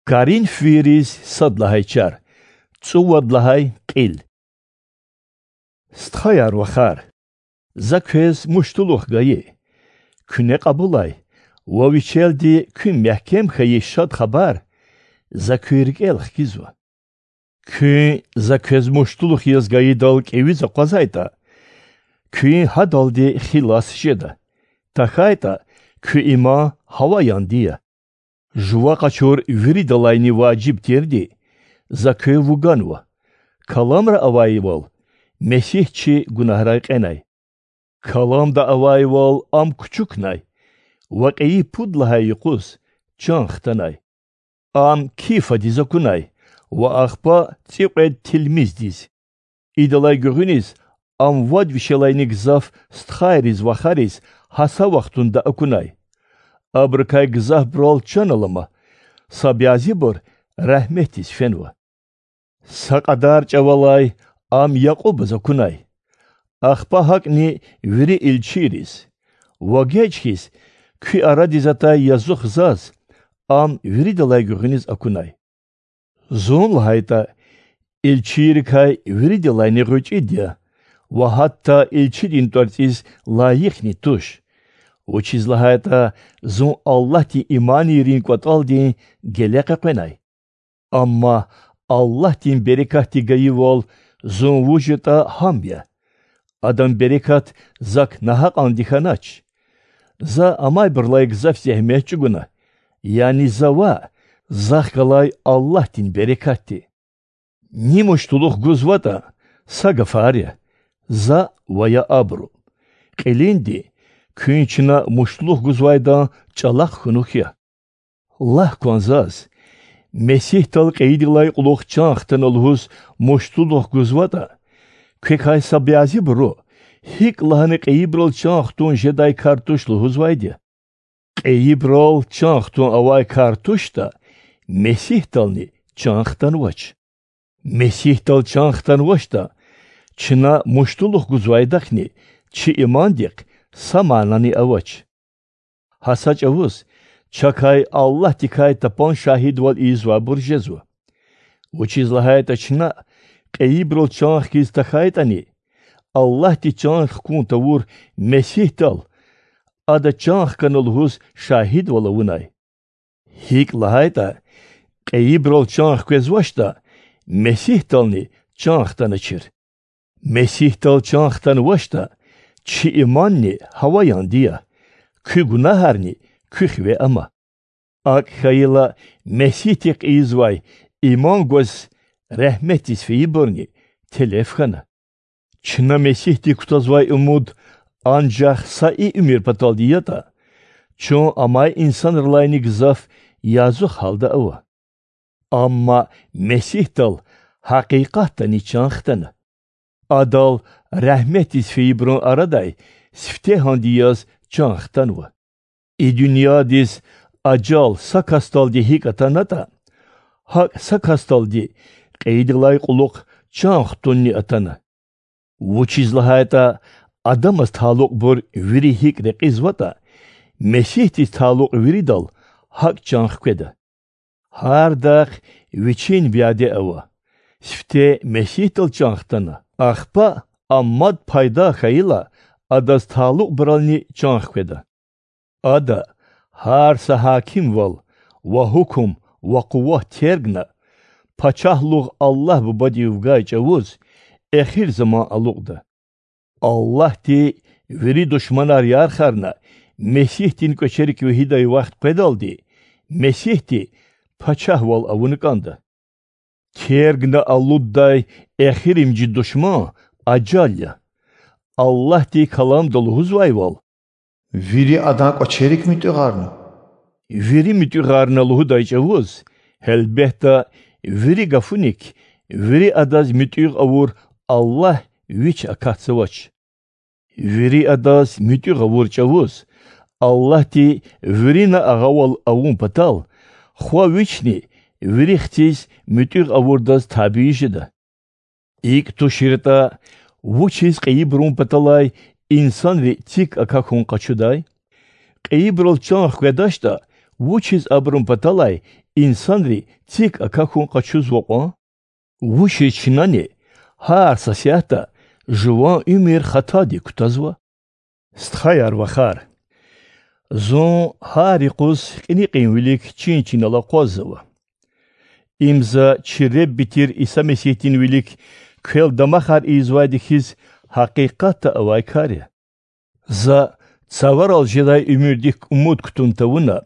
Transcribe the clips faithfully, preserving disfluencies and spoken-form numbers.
Коринфвийриз сад лагьай чар, цӀувад лагьай кьил. Стхаяр-вахар, за квез муштулух гайи. Куьне кьабулай ва вичелди куьн мягькем хьайи Шад Хабар за куь рикӀел хкизва. Куьн за квез муштулух яз гайидал кӀевиз акъвазайтӀа, куьн гьадалди хилас жеда, тахьайтӀа куь иман гьаваянди я. Жува къачур виридалайни важиб тирди за квев вуганва: каламра авайвал, Месигь чи гунагьрай кьенай. Каламда авайвал, ам кучукнай ва кьейи пуд лагьай юкъуз чан хтанай. Ам Кифадиз акунай ва ахпа цӀикьвед тилмиздиз. Идалай гуьгъуьниз ам вад вишелайни гзаф стхайриз-вахариз гьа са вахтунда акунай. Абурукай гзафбурал чан алама, са бязибур рагьметдиз фенва. Са кьадар чӀавалай ам Якьубаз акунай, ахпа гьакӀни вири илчийриз, ва геж хьиз куь арадиз атай язух заз ам виридалай гуьгъуьниз акунай. Зун, лагьайтӀа, илчийрикай виридалайни гъвечӀид я ва гьатта илчидин тӀварцӀиз лайихни туш, вучиз лагьайтӀа зун Аллагьдин иманийрин кӀватӀалдин геле къекъвенай. Амма Аллагьдин берекатди гайивал зун вуж ятӀа гьам я. Адан берекат зак нагьакьанди хьанач. За амайбурулай гзаф зегьмет чӀугуна, яни за ваъ, захъ галай Аллагьдин берекатди. Ни муштулух гузватӀа, са гафар я, за ва я абуру. Кьилинди, куьн чна муштулух гузвайдан чӀалахъ хьунухь я. Лагь кван заз: Месигьдал кьейидалай кьулухъ чан хтана лугьуз муштулух гузватӀа, квекай са бязибуру гьикӀ лагьана кьейибурал чан хтун жедай кар туш лугьузвайди я? Кьейибурал чан хтун авай кар туштӀа, Месигьдални чан хтанвач. Месигьдал чан хтанвачтӀа, чна муштулух гузвайдахъни чи имандихъ са манани авач. Гьа са чӀавуз чакай Аллагьдикай тапан шагьидвал ийизвайбур жезва. Вучиз лагьайтӀа чна, кьейибурал чан хкиз тахьайтӀани, Аллагьди чан хкун тавур Месигьдал, Ада чан хкана лугьуз шагьидвал авунай. ГьикӀ лагьайтӀа, кьейибурал чан хквезвачтӀа, Месигьдални чан хтаначир. Месигьдал чан хтанвачтӀа, чи иманни гьаваянди я, куь гунагьарни куь хиве ама. АкӀ хьайила, Месигьдихъ ийизвай иман гваз регьметдиз фейибурни телеф хьана. Чна Месигьдик кутазвай умуд анжах са и уьмуьр паталди ятӀа, чун амай инсанрилайни гзаф язух гьалда ава. Амма Месигьдал гьакъикъатдани чан хтана. Адал регьметдиз фейибурун арадай сифтегьанди яз чан хтанва. И дуьньядиз ажал са касдалди гьикӀ атанатӀа, гьакӀ са касдалди кьейидалай кьулухъ чан хтунни атана. Вучиз лагьайтӀа Адамаз талукьбур вири гьикӀ рекьизватӀа, Месигьдиз талукь виридал гьакӀ чан хкведа. Гьардахъ вичин вяде ава. Сифте Месигьдал чан хтана, ахпа ам мад пайда хьайила, Адаз талукьбурални чан хкведа. Ада гьар са гьакимвал ва гьукум ва къуват тергна, пачагьлугъ Аллагь Бубадив гай чӀавуз, эхир заман алукьда. Аллагьди вири душманар ярхарна, Месигьдин кӀвачерик вегьидай вахт къведалди, Месигьди пачагьвал авуна кӀанда. Тергна алуддай эхиримжи душман ажал я. Аллагьди Каламда лугьузвайвал: Вири Адан кӀвачерик муьтӀуьгъарна. Вири муьтӀуьгъарна лугьудай чӀавуз, гьелбетда, вири гафуник вири Адаз муьтӀуьгъ авур Аллагь Вич акатзавач. Вири Адаз муьтӀуьгъ авур чӀавуз Аллагьди вирина агъавал авун патал, Хва Вични вири Хциз муьтӀуьгъ авурдаз табий жеда. ИкӀ туширтӀа, вучиз кьейибурун паталай инсанри цик акахьун къачудай? Кьейибурал чан хкведачтӀа, вучиз абурун паталай инсанри цик акахьун къачузва кьван? Вучиз чнани гьар са сятда жуван уьмуьр хатадик кутазва? Стхаяр-вахар, зун гьар юкъуз кьиникьин вилик чин-чинал акъваззава. Им за чи Худа Иса Месигьдин вилик квел дамахар ийизвайди хьиз гьакъикъатда авай кар я. За цаварал жедай уьмуьрдик умуд кутун тавуна,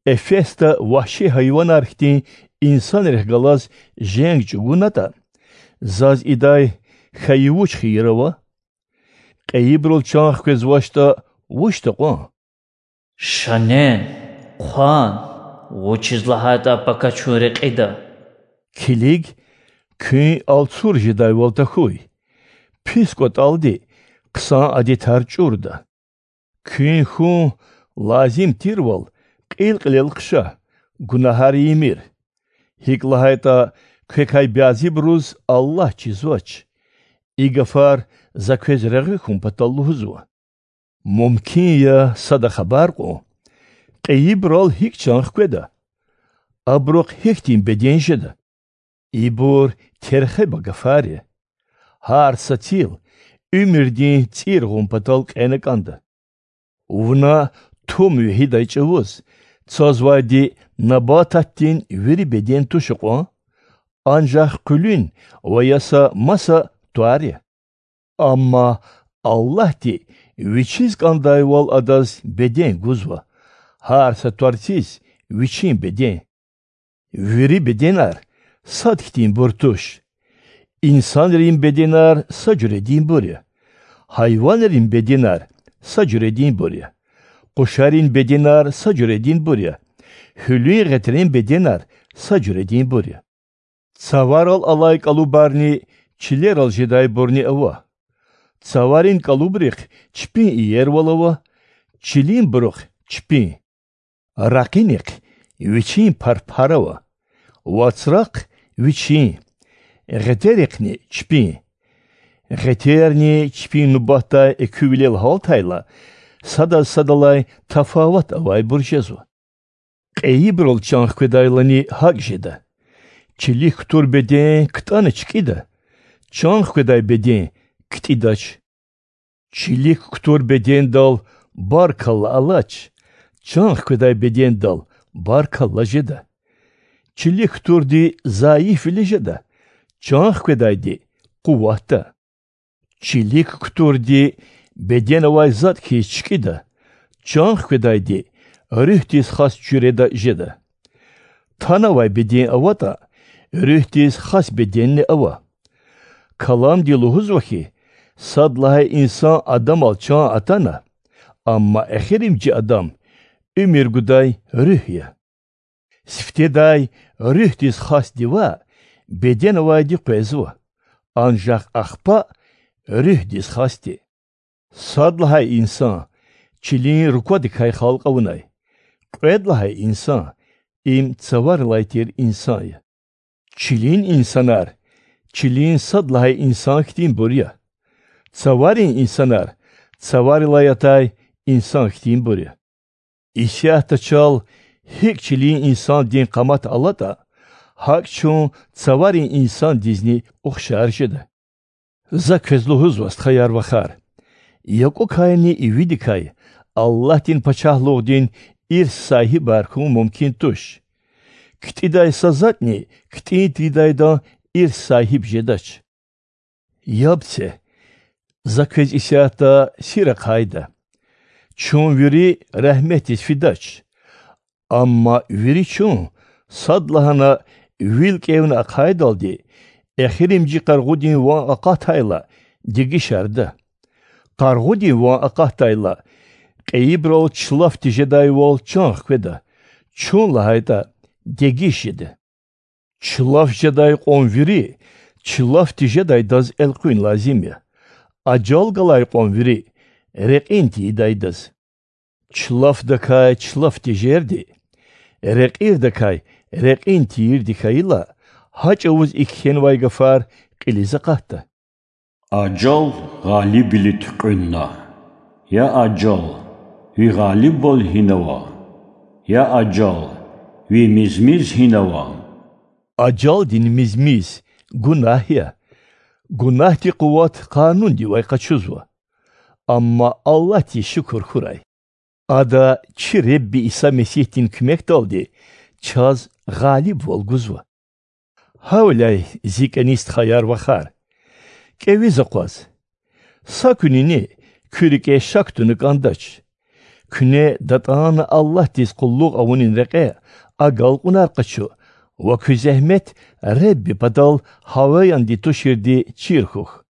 Эфесда вагьши гьайванар хьтин инсанрихъ галаз женг чӀугунатӀа, заз идай хьайи вуч хийир ава? Кьейибурал чан хквезвачтӀа, вучда кьван? Шанен, хъван, вучиз лагьайтӀа пака чун рекьида. Килиг, куьн алцур жедайвал тахьуй, пис кӀватӀалди хъсан адетар чӀурда. Куьн хьун лазим тирвал кьил-кьилел хъша, гунагьар ийимир. ГьикӀ лагьайтӀа квекай бязибуруз Аллагь чизвач. И гафар за квез регъуь хьун патал лугьузва. Мумкин я, сада хабар кьун: кьейибурал гьикӀ чан хкведа? Абурухъ гьихьтин беден жеда? Ибур терхеба гафар я. Гьар сацил уьмуьрдин цӀир гъун патал кьена кӀанда. Вуна тум вегьидай чӀавуз цазвайди набататдин вири беден туш кьван, анжах къуьлуьн ва я са маса твар я. Амма Аллагьди Вичиз кӀандайвал адаз беден гузва, гьар са тварциз вичин беден. Вири беденар сад хьтинбур туш. Инсанрин беденар са жуьрединбур я, гьайванрин беденар са жуьрединбур я, къушарин беденар са жуьрединбур я, гьуьлуьн гъетрен беденар са жуьрединбур я. Цаварал алай кӀалубарни чилерал жедайбурни ава. Цаварин кӀалубрихъ чпин иервал ава, чилинбурухъ чпин. Ракъинихъ вичин парпар ава, вацрахъ вичин, гъетерихъни чпин. Гъетерни чпин нубатдай экуьвилел гьалтайла, садаз садалай тафават авайбур жезва. Кьейибурал чан хкведайлани гьакӀ жеда: чилик кутур беден ктӀана чкӀида, чан хкведай беден ктӀидач. Чилик кутур бедендал баркалла алач, чан хкведай бедендал баркалла жеда. Чилик кутурди зайифвиле жеда, чан хкведайди къуватда. Чилик кутурди беден авай затӀ хьиз чкӀида, чан хкведайди руьгьдиз хас жуьреда жеда. Танавай беден аватӀа, руьгьдиз хас беденни ава. Каламди лугьузва хьи, сад лагьай инсан Адамал чан атана, амма эхиримжи Адам уьмуьр гудай Руьгь я. Сифтедай руьгьдиз хасди ваъ, беден авайди къвезва, анжах ахпа руьгьдиз хасди. Сад лагьай инсан чилин руквадикай халкь авунай, кьвед лагьай инсан им цаварилай тир инсан я. Чилин инсанар чилин сад лагьай инсан хьтинбур я, цаварин инсанар цаварилай атай инсан хьтинбур я. Исятда чал гьикӀ чилин инсандин къамат алатӀа, гьакӀ чун цаварин инсандизни ухшар жеда. За квез лугьузва, стхаяр-вахар, якӀукайни ивидикай Аллагьдин Пачагьлугъдин ирс сагьибар хьун мумкин туш. КтӀидай са затӀни ктӀин тийидайдан ирс сагьиб жедач. Яб це, за квез исятда сир ахъайда: чун вири рагьметдиз фидач. Амма вири чун, садлагьана вил кӀевна ахъайдалди, эхиримжи къаргъудин ван акъатайла, дегишарда. Къаргъудин ван акъатдайла, кьейибурал чилаф тежедайвал чан хкведа, чун лагьайтӀа, дегиш жеда. Чилаф жедай кьван вири чилаф тежедайдаз элкъуьн лазим я, ажал галай кьван вири рекьин тийидайдаз. Чилафдакай чилаф тежерди рекьирдакай рекьин тийирди хьайила, гьа чӀавуз и кхьенвай гафар кьилиз акъатда: Ажал гъалибвиле туькьуьнна. Я ажал, ви гъалибвал гьинава? Я ажал, Ви мизмиз гьинава? Ажалдин мизмиз— гунагь я. Гунагьдин къуват къанундивай къачузва. Амма Аллагьдиз шукур хьурай: Ада чи Худа Иса Месигьдин куьмекдалди чаз гъалибвал гузва. Гьавиляй, зи кӀани стхаяр-вахар, кӀевиз акъваз. Са куьнини куь рикӀе шак туна кӀандач. Куьне датӀана Аллагьдиз къуллугъ авунин рекье агалкьунар къачу ва куь зегьмет Худа Исади патал гьаваянди туширди чир хьухь.